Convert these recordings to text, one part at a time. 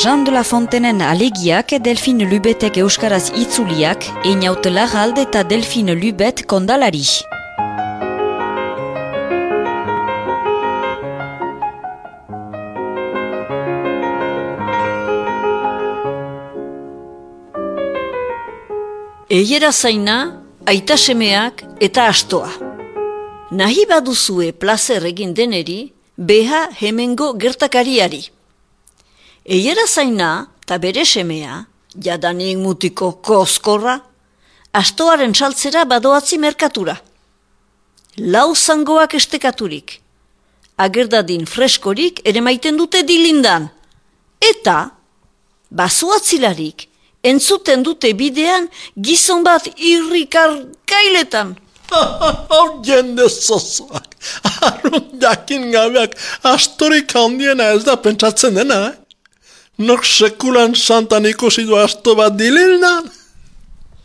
Jean de la Fontenen alegiak Delphine Lubetek euskaraz itzuliak, Einaut Larralde eta Delphine Lubet kondalari. Eiera zaina, aita semeak eta astoa. Nahi baduzue plazer egin deneri, beha hemengo gertakariari. Eiera zaina, eta bere semea, jadanik mutiko koskorra, astoaren saltzera badoatzi merkatura. Lau zangoak estekaturik, agerdadin freskorik ere maiten dute dilindan. Eta, bazuatzilarik, entzuten dute bidean gizon bat irrikarkailetan. Jende zozoak, arrun jakin gabeak astorik handiena ez da pentsatzen dena, Nok sekulan santan ikusi du asto bat dilindan?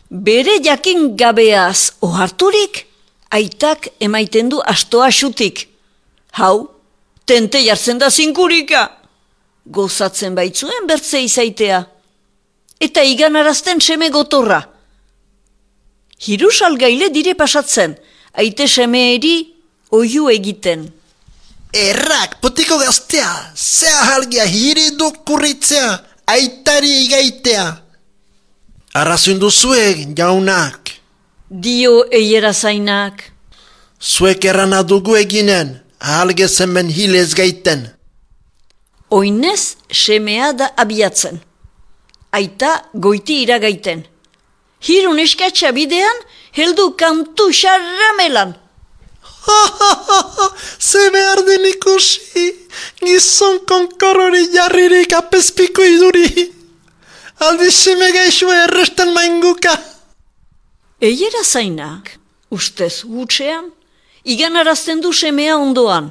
Bere jakin gabeaz oharturik, aitak emaiten du astoa xutik. Hau, tente jartzen da zinkurika. Gozatzen baitzuen bertze izaitea. Eta iganarazten seme gotorra. Hiru salgaile dire pasatzen, aite semeeri oiu egiten. Errak, putiko gaztea, zea halgia hiri dukurritzea, aitari igaitea. Arrazun duzuek, jaunak. Dio eiera zainak. Zuek errana dugu eginen, ahalge zemen hilez gaiten. Oinez semea da abiatzen. Aita goiti iragaiten. Hirun eskatsa bidean, heldu kantu xarramelan. Ze behar den ikusi, gizon konkorori jarririk apespiko iduri. Aldi seme gaixua erresten mainguka. Eiera zainak, ustez gutxean, iganarazten du semea ondoan.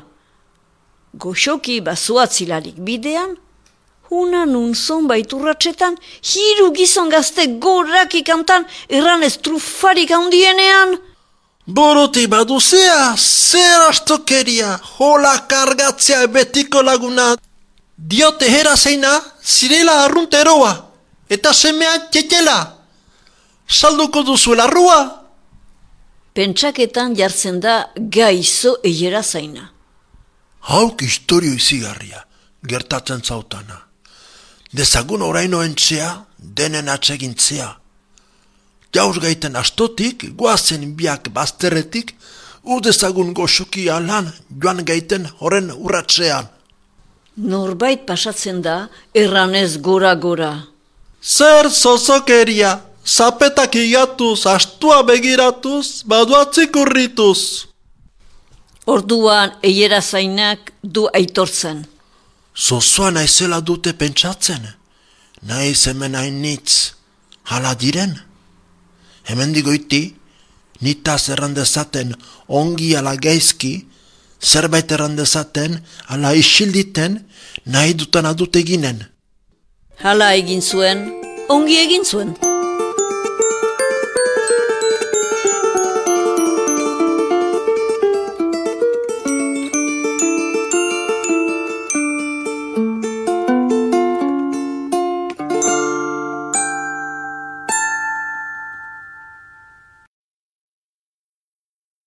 Goxoki bazuatzilarik bidean, hunan unzon baiturratxetan, hiru gizon gazte gorrak ikantan erranez trufarik handienean. Boruti baduzea, zer astokeria, hola kargatzea betiko laguna. Diote hera zeina, zirela arrunteroa, eta semea txetela. Salduko duzuela rua. Pentsaketan jartzen da gaizo eiera zaina. Hauk historio izigarria, gertatzen zautana. Dezagun oraino entzea, denen atsegintzea. Jauz gaiten astotik, guazen biak bazterretik, udezagun goxoki alan joan gaiten horren urratzean. Norbait pasatzen da, erranez gora-gora. Zer zozokeria, zapetak igatuz, astua begiratuz, baduatzik urrituz. Orduan eiera zainak du aitortzen. Zozoa naizela dute pentsatzen, naiz hemen hainitz, hala diren. Hemen digoiti, nitaz errandezaten ongi ala gaizki, zerbait errandezaten ala isilditen, nahi dutan adut eginen. Hala egin zuen, ongi egin zuen.